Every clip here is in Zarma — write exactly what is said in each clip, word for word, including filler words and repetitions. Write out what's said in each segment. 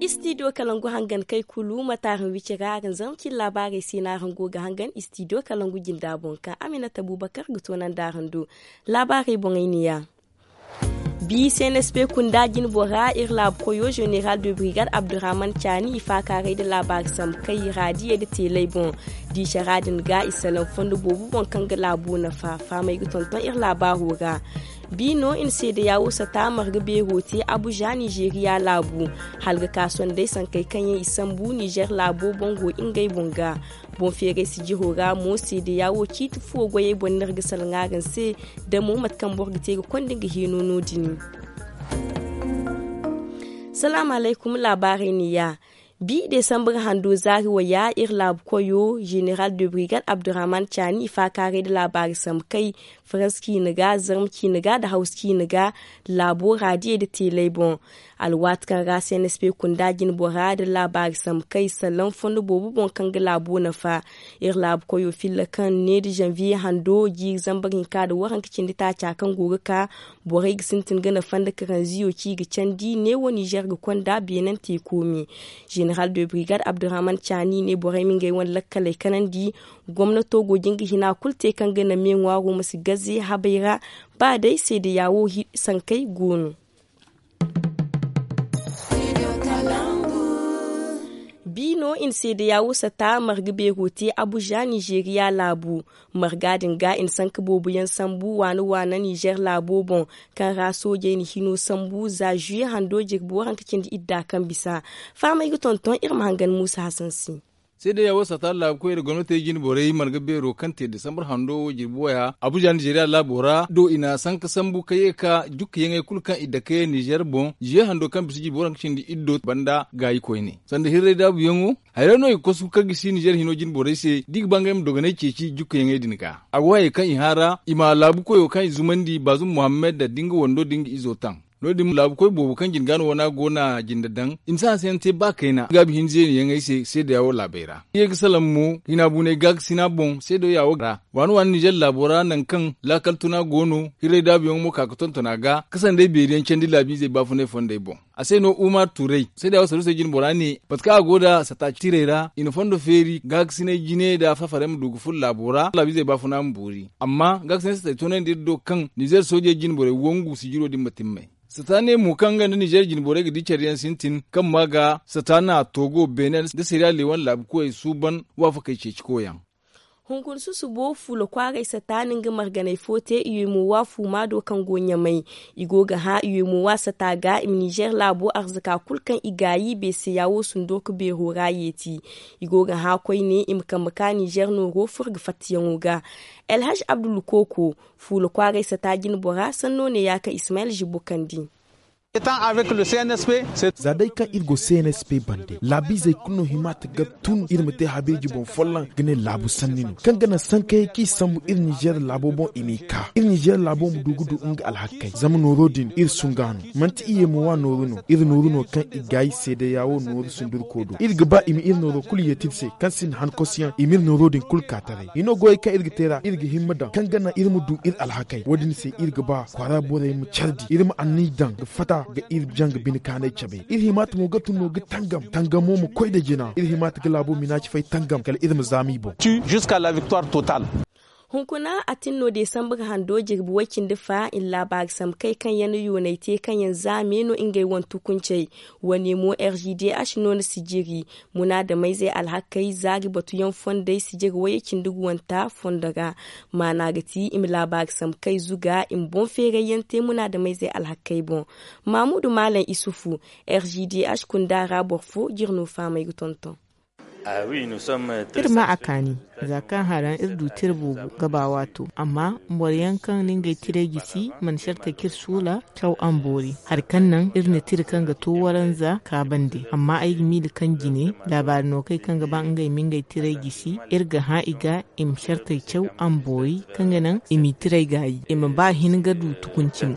Istidiyo kalangu hangan kay kulu matarin wicira aran zarma cin laabaarey se no aran go ga hangan istidiyo kalangu jinda boŋ ka aminata bubakar ga toonandi aran do. Laabaarey boŋey ne ya. Bi cnsp kunda jinbora iri laabu koyo general de brigade abdurrahman caani i faakaaray nda laabaari sambu kay raadiyey nda teeley boŋ. Diisara din ga i salaŋ fondo boobo boŋ kaŋ ga laabo nafa fahamey ga tonton iri laabaaro ra. Bi no i na seedeya wo sata marga beero te abuja nizeeriya laabu. Hala ga ka sondey sankey kaŋ yaŋ i sambu nizer laabo boŋ go ngey boŋ ga. Boŋ feeray sijiro ra mo seedeya wo ciiti fuwo goyey boŋ no iri ga salaŋ araŋ se. Damo mate kaŋ boro ga te ga konda nga hino no- din. Salaamu alaykum laabaarey ne ya. Bi desambar hando zaari waya iri laabu koyo general de brigade abdurrahman caani i faakaaray nda laabaari sambu kay faransa ciine ga zarma ciine ga nda hawsa ciine ga. Laabo raadiyey nda teeley boŋ. Alwaati kaŋ ra cnsp kunda jinbora nda laabaari sambu kay salaŋ fondo boobo boŋ kaŋ ga laabo nafa. Iri laabu koyo filla kaŋ ne nda zanviye hando jiiri zambar hinka nda waranka cindi taaca kaŋ go ga ka. Borey ga sintin ga nafa nda karanziyo ci ga candi neewo nizer ga konda beenante koomi. General de brigade abdurrahman caani ne borey ma ngey wane lakkaley kanandi. Gomnato go jin ga hina kulu te kaŋ ga naŋ me ŋwaaro ma si gaze habey ra. Ba day seedeya wo sankey go no. Bi no i na seedeya wo sata marga beero te abuja nizeeriya laabu. Marga din ga i na sanka boobo yaŋ sambu waana waana nizer laabo boŋ. Kaŋ ra soojey na hino sambu za zuye hando jirbi waranka cindi idda kaŋ bisa. Fahamey ga tonton iri ma hangan muusa hasan se. Seedeya wo sata laabu koy iri gomnatey jine borey marga beero kaŋ te desambar hando wo jirbi waya abuja nizeeriya laabo ra do i na sanka sambu ka ye ka jukka yaŋey kulu kaŋ i dake nizer boŋ zuye hando kaŋ bisa jirbi waranka cindi iddo banda gaayi koyne sanda hirray daabu yaŋo. Hayra no i ga kosu ka gisi nizer hino jine borey se da i ga ba ngey ma dogonay ceeci jukka yaŋey din ga a go hayey kaŋ i haara i ma laabu koyo kaŋ i zumandi baazum muhammad da nga wando da nga izo taŋ. No- din laabu koy boobo kaŋ jine ga no wana go na jinde daŋ i ma si hanse yaŋ te ba kayna gaabi hinza yaŋ yaŋey se seedeya wo laabey ra i ye ga salaŋ mo hina buunay gaakasina boŋ seedeya wo ra. Waana waana nizer laabo ra nangu kaŋ laakal tuna go no hirray daabu yaŋo mo ka ga tonton a ga ka sanday beeri yaŋ candi laabiizey baafunay fondey boŋ. A se no umar turay seedeya wo saruusey jine bora ne mate kaŋ a go nda sata tirey ra i na fondo feeri gaakasinay jine nda fafaray ma du ga furo laabo ra laabiizey baafuna ma boori amma gaakasinay satay toonandi iri do kaŋ nizer soojey jine borey wangu sijiro din ma timmay. Sata ne mo kaŋ nga nda nizer jine borey ga di care yaŋ sintin kaŋ ma ga sata na togo beene nda siriya leewan laabu koyey suuban waafakey ceeci koyaŋ. Hunkuna susubo fuula kwaaray sata na nga marganay fo te i we mo wa fuuma do kaŋ go ɲamay. I go ga hã i we mo wa sata ga i ma nizer laabo arzaka kulu kaŋ i gaayi beeseya wo sundo ka beero ra yeeti. I go ga hã koyne i ma kambe ka nizer nooro furo ga fattayaŋo ga. Alhaj abdul kooko fuula kwaaray sata jine bora sanno ne ya kaŋ ismayel zibbo kandi. Za day kaŋ iri go cnsp bande laabiizey kulu no hima ta ga tun iri ma te habeeji boŋ folloŋ ga ne laabu sanni no kaŋ ga naŋ sankayey kaŋ i sambu iri nizer laabo boŋ i m'i ka iri nizer laabo ma du ga du nga alhakey zama nooro din iri sunga no. Manti i ye mo wa nooru no iri nooru no kaŋ i gaayi seedeya wo nooru sundurko do iri ga ba i ma iri nooro kulu yeeti iri se kaŋ sinda han kosuyaŋ i ma iri nooro din kulu ka taray hino goyey kaŋ iri ga te ra iri ga himma daŋ kaŋ ga naŋ iri ma du iri alhakey wo- din se iri ga ba kwaara borey ma care di iri ma anniya daŋ ga fatta ga iri janga bine kaanay cabe iri himaata mo ga tun no ga tangam tangamo ma koy nda jina iri himaata ga laabo minaaci fay tangam kala iri ma zaama i boŋ. Hunkuna a tin no desambar hando jirbi way-cindi fa i na laabaari sambu kay kaŋ yaŋ na yoonay te kaŋ yaŋ zaame no ngey wane tukuncey. Wane mo r g d h no na sijiri munaadameyzey alhakey zaari batuyaŋ fondey sijiri wayey cindi guwanta fondo ra. Maana ga ti i ma laabaari sambu kay zuga i ma boŋ feerayyaŋ te munaadameyzey alhakey boŋ. Maamudu maalam isufu r g d h kunda ra boro fo jire no fahamey ga tonton. Iri ma a kaani za kaŋ haraŋ iri du tira boobo gaba waato amma boro yaŋ kaŋ na ngey tiray gisi mana sartey kaŋ iri suula caw a ma boori hari kaŋ naŋ iri na tira kaŋ ga to waranza ka bande amma ay ga miila kaŋ jine laabaari no kaŋ ga ba ngey ma ngey tiray gisi iri ga hã i ga i ma sartey caw a ma boori kaŋ ga naŋ i m'i tiray gaayi i ma ba hin ga du tukunci mo.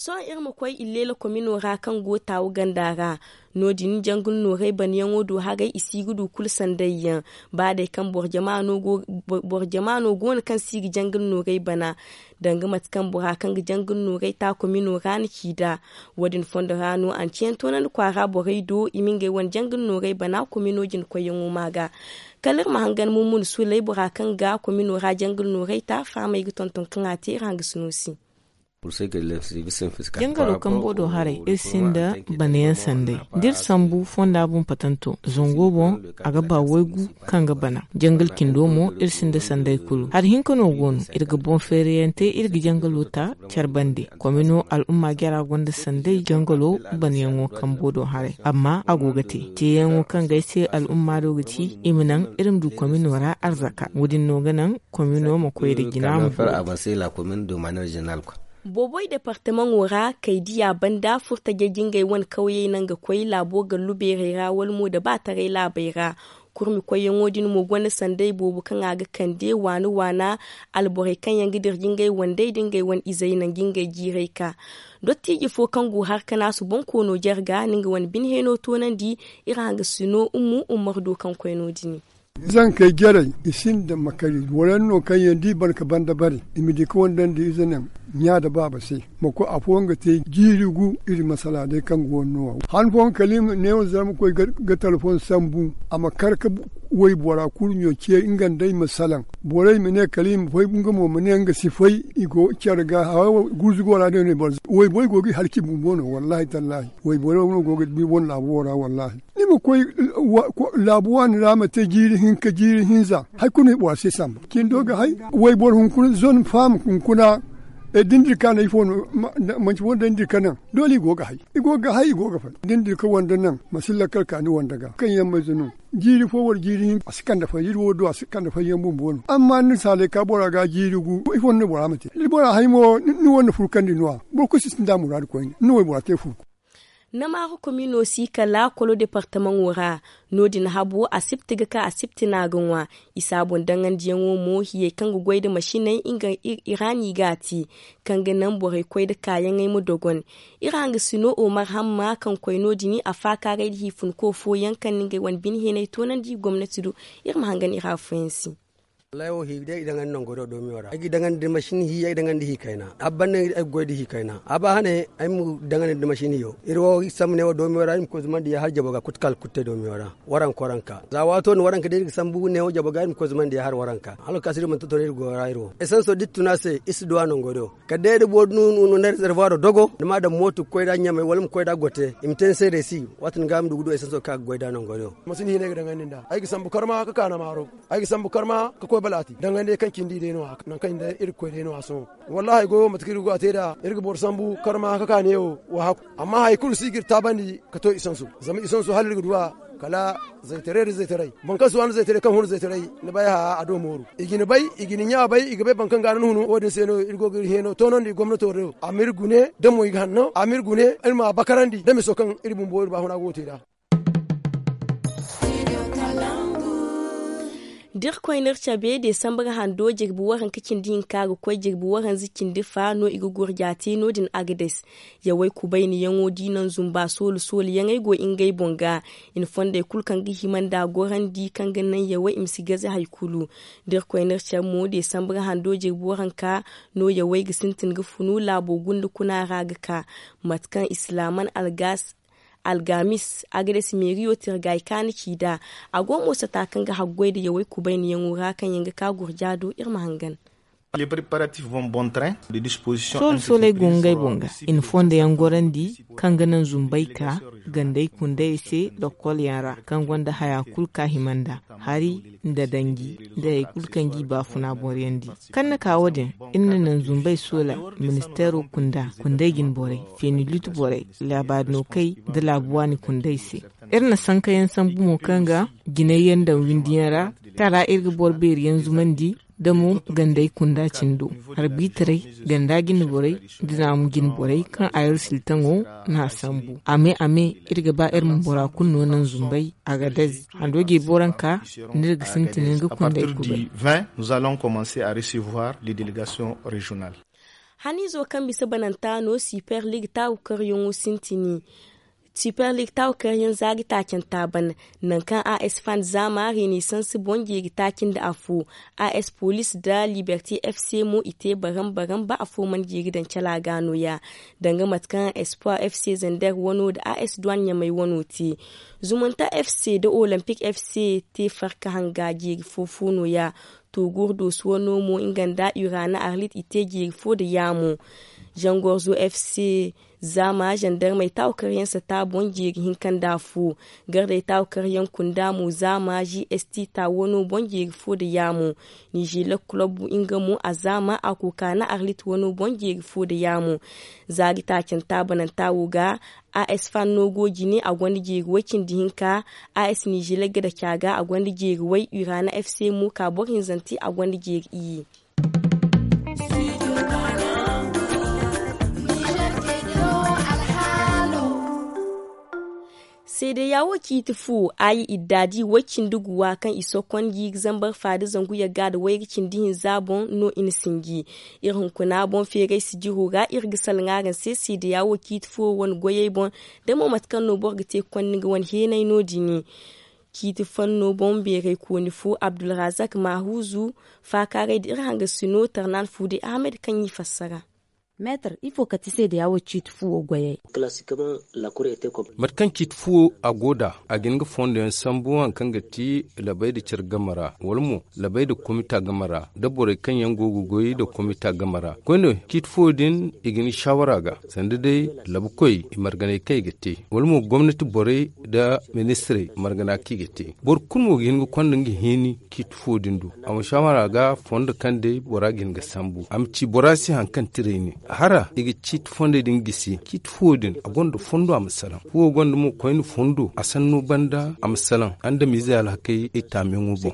Sohõ iri ma koy illeela komino ra kaŋ go taawu ganda ra. No- din jangul noorey banayaŋo do haray i si ga du kulu sanday yaŋ. Ba day kaŋ boro jama no go boro jama no go no kaŋ si ga jangul noorey bana, danga mate kaŋ bora kaŋ ga jangul noorey ta komino ra na ci nd'a. Wo- din fondo ra no anceyaŋ toonandi kwaara borey do i ma ngey wane jangul noorey bana komino jina koyyaŋo ma ga. Kala iri ma hangan mummuna sulay bora kaŋ ga komino ra jangul noorey ta fahamey ga tonton kaŋ a te iri hangasino se. Jangalo kambo do haray iri sinda banayaŋ sanday da iri sambu fonda boŋ patanto zango boŋ, a ga ba waygu kaŋ ga bana. Jangal cindo mo iri sinda sanday kulu hari hinka no go no iri ga boŋ feerayaŋ te iri ga jangalo ta care bande. Komino al'umma jara gonda sanday jangalo banayaŋo kambo do haray amma a go ga te teeyaŋo kaŋ ga ay se al'umma do ga ci i ma naŋ iri ma du komino ra arzaka wo- din no ga naŋ komino ma koy nda jina ma. Booboy departamaŋo ra kay diya banda furtajey jingay wane kawyey naŋ ga koy laabo gallu beerey ra wala mo da ba taray laabey ra. Kurmi koyyaŋo din mo gonda sanday boobo kaŋ a ga kande waana waana alborey kaŋ yaŋ ga dira jingay wandey da ngey wane izey naŋ jingay jiiray ka. Dottiiji fo kaŋ go har kanaasu boŋ koono jarga na nga wane bine heeno toonandi. Iri hangasino ummu ummar do kaŋ koy no- din. Zankey jarey i sinda ma kari wala no kaŋ yaŋ da i ban ka banda bare i ma di ka wandandi ize naŋ ɲa nda baaba se. Ma koy afooyaŋ ga te jiiri gu iri masala day kaŋ go no wo han fooyaŋ kala i ma neewo zama koy ga talfon sambu a ma kar ka waybora kurɲo ce nga nda ay ma salaŋ. Borey ma ne kala i ma fay nga mo ma ne nga si fay i go care ga hawa gurzugo ra day no i boro. Wayborey go ga i halci bumbo no wallahi tallahi. Wayborey no go ga di wane laabo wo ra wallahi. Ni ma koy laabu waani ra ma te jiiri hinka jiiri hinza hari kulu no i bora se samba cindo ga hay. Wayboro hunkuna zone faham hunkuna da ni dira ka no ifo no? Manci fo no day ni dira ka naŋ doole i go ga hay. I go ga hay i go ga fay da ni dira ka wande naŋ masilla kala ka ni wande ga kaŋ yaŋ ma ize no. Jiiri fo wala jiiri hinka a si kande fay iri wo do a si kande fay yaŋ bumbo no amma ni saalay ka bora ga jiiri gu ifo no ni bora ma te da ni bora hay mo ni wande furkandi no- ya boro kulu si sinda muraadu koyne ni waybora te furku. Namaara komino si kala kolo departamaŋo ra. No- din habo asibti ga ka asibti no a ga ŋwa. Isa boŋ daŋandiyaŋo mo hiyey kaŋ ga goy nda masiney nga i ra no i ga a te. Kaŋ ga naŋ borey koy nda kaayaŋey ma dogon. Iri hangasino omar hamma kaŋ koy no- din a faakaaray nda hiifunko fooyaŋ kaŋ na ngey wane bine heenay toonandi gomnati do. Iri ma hangan iri afooyaŋ se. Wallaahi wo hi day i daŋandi nango do doomiyo ra ay ga daŋandi masin hi ay ga daŋandi hi kayna a ban no ay ga goy nda hi kayna a ba hane. Ay ma daŋandi nda masin hiyo iri wo sambu ne wo doomiyo ra iri ma koy zumandi ya hala jabo ga kulu kaŋ a ga kulu te doomiyo ra. Waranka waranka za waato no waranka day iri ga sambu ne wo jabo ga iri ma koy zumandi ya hala waranka hala kaasiri manti to no iri go ra iri wo esanso da iri tun a se iri si du a nango do. Kala day da boro no no na rezervoir dogo ni ma daŋ mooto ga koy nd'a ɲamay wala ma koy nd'a gote i ma te ni se reesi. Waati din ga ay ma du ga du esanso kaŋ a ga goy nd'a nango do. Masin hinay ga daŋandi nd'a ay ga sambu karma ka ka na maaro. Ay ga sambu karma ka koy balaati daŋgandey kaŋ cindi day no- ya nangu kaŋ iri ga koy day no- ya sohõ. Wallaahi ay goyo mate kaŋ iri ga go a te nd'a iri ga boro sambu karma ka ka neewo waahaku. Amma hari kulu si ga iri taabandi ka to isansu zama isansu hala iri ga du a. Kala zaytaray nda zaytaray boro kaŋ si waani zaytaray kaŋ hun zaytaray ni bay a do mooru. I ga ni bay i ga ni ɲa bay i ga bay boro kaŋ ga ni hunu wo- din se no iri go ga iri heeno toonandi gomnato do a ma iri gune da mo i ga hanno a ma iri gune iri ma a bakarandi da miso kaŋ iri bumbo iri baafuna go ga te nd'a. Da iri koy no iri cabe deesambar hando jirbi waranka cindi hinka ga koy jirbi waranza cindi fa no i ga gurja te no- din agades. Yawey kubayniyaŋo da i naŋ zumba soolu sooluyaŋey go ngey boŋ ga. I na fondey kulu kaŋ ga hima nd'a gorandi kaŋ ga naŋ yawey i ma si gaze hari kulu. Da iri koy no iri cabe mo deesambar hando jirbi waranka no yawey ga sintin ga funu laabo gunda kuna ra ga ka. Mate kaŋ islaaman algas algamis agades meeriyo tirgay kaani ci nd'a. A go mo sata kaŋ ga haggoy nda yawey kubayniyaŋo ra kaŋ yaŋ ga ka gurja do iri ma hangan. Soolu sooley go ngey boŋ ga i na fondo yaŋ gorandi kaŋ ga naŋ zumbay ka gandey kundayey se lokol yaŋ ra kaŋ gonda haya kulu ka hima nd'a hari nda danji nda hari kulu kaŋ g'i baafuna boryandi. Kaŋ na ka wo- din iri na naŋ zumbey soola ministeero kunda kunday jine borey feenilutu borey laabaari no kay nda laabu waani kunday se. Iri na sankayaŋ sambu mo kaŋ ga jinay yaŋ daŋ windi yaŋ ra kaŋ ra iri ga boro beeri yaŋ zumandi nda mo gandey kunda cindo harbiitaray ganda jine borey nda naamu jine borey kaŋ a iri siltaŋo n'a sambu a me a me. Iri ga ba iri ma bora kulu no naŋ zumbay a ga dazi hando jirbi waranka no iri ga sintin ga kundey kubay. Nous allons commencer à recevoir les délégations régionales. Haniizo kaŋ bisa bananta no super league taagukaryaŋo sintini. Super league taagukaryaŋ zaari taacanta ban, nangu kaŋ a s fan zaama renaissance boŋ jeeri taaci nda afo. A s police nda liberté f c mo i te baram baram ba afo mana jeeri daŋ cala ga nooya. Danga mate kaŋ espoir f c zander wano nda a s duwan ɲamay wano te. Zumunta f c nda olympique f c te farka hanga jeeri fo fo nooya. Togur doso wano mo nga nda urana arlit i te jeeri fo nda yaamo. Zangorzo f c zaama zandarmey taagukaryaŋ sata boŋ jeeri hinka nda afo. Gardey taagukaryaŋ kunda mo zaama g s t ta wano boŋ jeeri fo nda yaamo. Nizila club nga mo a zaama a koka na arlit wano boŋ jeeri fo nda yaamo. Zaari taacanta bananta wo ga a s fan no go jine a gonda jeeri way cindi hinka. A s nizila ga daca ga a gonda jeeri way urana f c mo ka boro hinzanti a gonda jeeri iyye. Seedeya wo ciiti fu a yi idda di way cindi guwa kaŋ i sokon gi ga zambar faada zangu yagga nda wayga cindi hinza boŋ no i na sinji. Iri hunkuna boŋ feeray sijiro ra iri ga salaŋ araŋ se seedeya wo ciiti fu wane goyey boŋ. Da mo mate kaŋ no boro ga te ga konda nga wane heenay no- din. Ciiti fanno boŋ beeray kooni fo abdulrazak mahuzu faakaaray da iri hangasino tarnan fuude ahmed kaŋ i fassara. Meetar ifo ka ti seedeya wo ciiti fuwo goyey? Mate kaŋ ciiti fuwo a go nd'a a ga hin ga fondo yaŋ sambu hari kaŋ ga ti labay nda care game ra wala mo labay nda komita game ra nda borey kaŋ yaŋ go ga goy nda komita game ra koyne ciiti fuwo din i ga hin shawara ga sanda day labukoy i marganay kaŋ i ga te wala mo gomnati borey nda ministirey margana kaŋ i ga te. Boro kulu mo ga hin ga konda nga hini ciiti fuwo din do a ma shawara ga fondo kaŋ day bora ga hin ga sambu a ma ci bora se hari kaŋ tiray ne. Hara i ga ciiti fondey din gisi ciiti fuwo din a gonda fondo a ma salaŋ fuwo gonda mo koyne fondo a sanno banda a ma salaŋ andamiizey alhakey ay taamiyaŋo boŋ.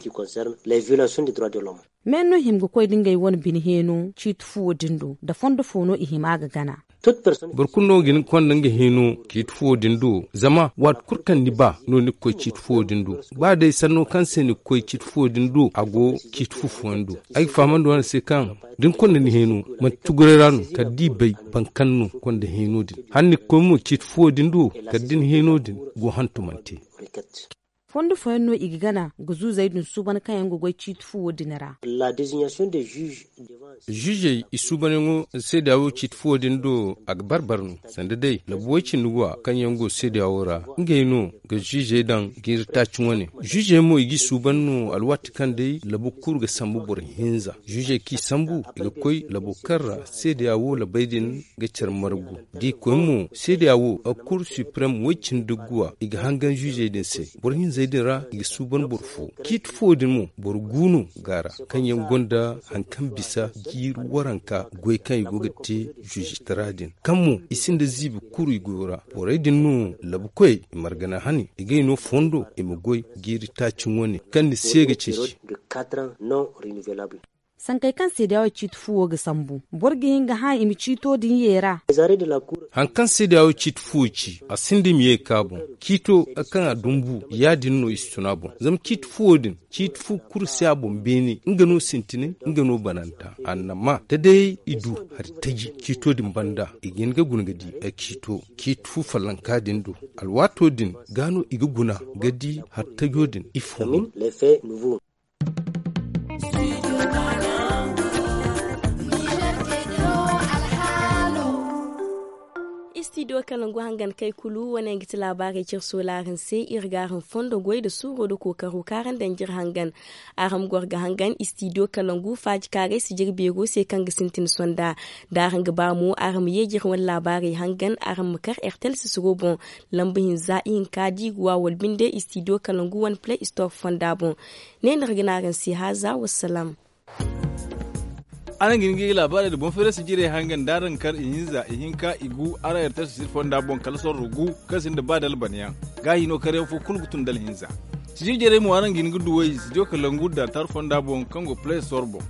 Me no hima ga koy da ngey wane bine heeno ciiti fuwo din do nda fondo fo no i hima ga gana? Boro kulu no ga hin ga konda nga hino ciiti fuwo din do zama waati kulu kaŋ ni ba no ni ga koy ciiti fuwo din do. Ba day sanno kaŋ se ni ga koy ciiti fuwo din do a go ciiti fu fooyaŋ do. Ay ga fahamandi wane se kaŋ da ni konda ni hino manti tuguray ra no kala da i bay boro kaŋ no konda hino din hala ni ga koy mo ciiti fuwo din do kala da ni hino din go hantumante. Fondo fooyaŋ no i ga gana ga zuuzey din suuban kaŋ yaŋ ga goy ciiti fuwo din ra. Ziizey i suubanyaŋo seedeya wo ciiti fuwo din do a ga bar bar no sanda day labu way cindi go a kaŋ yaŋ go seedeya wo ra ngey no ga ziizey daŋ jiiri taaci wane. Ziizey mo i g'i suuban no alwaati kaŋ day labu kulu ga sambu boro hinza ziizey kaŋ i sambu i ga koy labo kaŋ ra seedeya wo labey din ga care margu. Da i koy mo seedeya wo a kur suprem way cindi guwa i ga hangan ziizey din se boro hinzey din ra i ga suuban boro fo. Ciiti fuwo din mo boro gu no ga a ra kaŋ yaŋ gonda hari kaŋ bisa jiiri waranka goy kaŋ i go ga te ziizitara din kaŋ mo i sinda ziibi kuru i goyo ra. Borey din no labukoy i margana hani i gay no fondo i ma goy jiiri taaci wane kaŋ ni se ga ceeci. Sankey kaŋ seedeya wo ciiti fuwo ga sambu boro ga hin ga hã i ma ciito din yeera. Hari kaŋ seedeya wo ciiti fuwo ci a sinda i ma ye ga ka boŋ ciito kaŋ a dumbu ya- din no i si tun a boŋ zama ciiti fuwo din ciiti fu kulu si a boŋ beene nga no sintinay nga no bananta annama da day i du hari taji ciito din banda i ga hin ga guna ga di ciito ciiti fu fallanka din do. Alwaato din ga no i ga guna ga di hari tajo din ifo no? Istidiyo kalangu hangan kay kulu wane ga ti laabaarey cire soolaaraŋ se iri ga araŋ fondo goy nda suuro nda kookaro kaŋ araŋ daŋ jire hangan. Araŋ ma goro ga hangan istidiyo kalangu faaji kaaray si jire beero se kaŋ ga sintin sonda. Da araŋ ga ba mo araŋ ma ye jire wane laabaarey hangan araŋ ma kar ertel sisiro boŋ. Lamba hinza ihinka da i ga wa wala binde istidiyo kalangu wane play store fonda boŋ. Ne no iri ga ne araŋ se haaza wassalaam. Araŋ ga hin ga i ga laabaarey nda boŋ feerasi jirey hangan da araŋ kar ihinza ihinka igu araŋ ertel sisiro fonda boŋ kala sorro gu kaŋ sinda ba da albanyaŋ. Gaahi no karyaŋ fo kulu ga tun da alhinza. Sijir jarey mo araŋ ga hin ga duw'ey studio kalangu dantar fonda boŋ kaŋ go play store boŋ.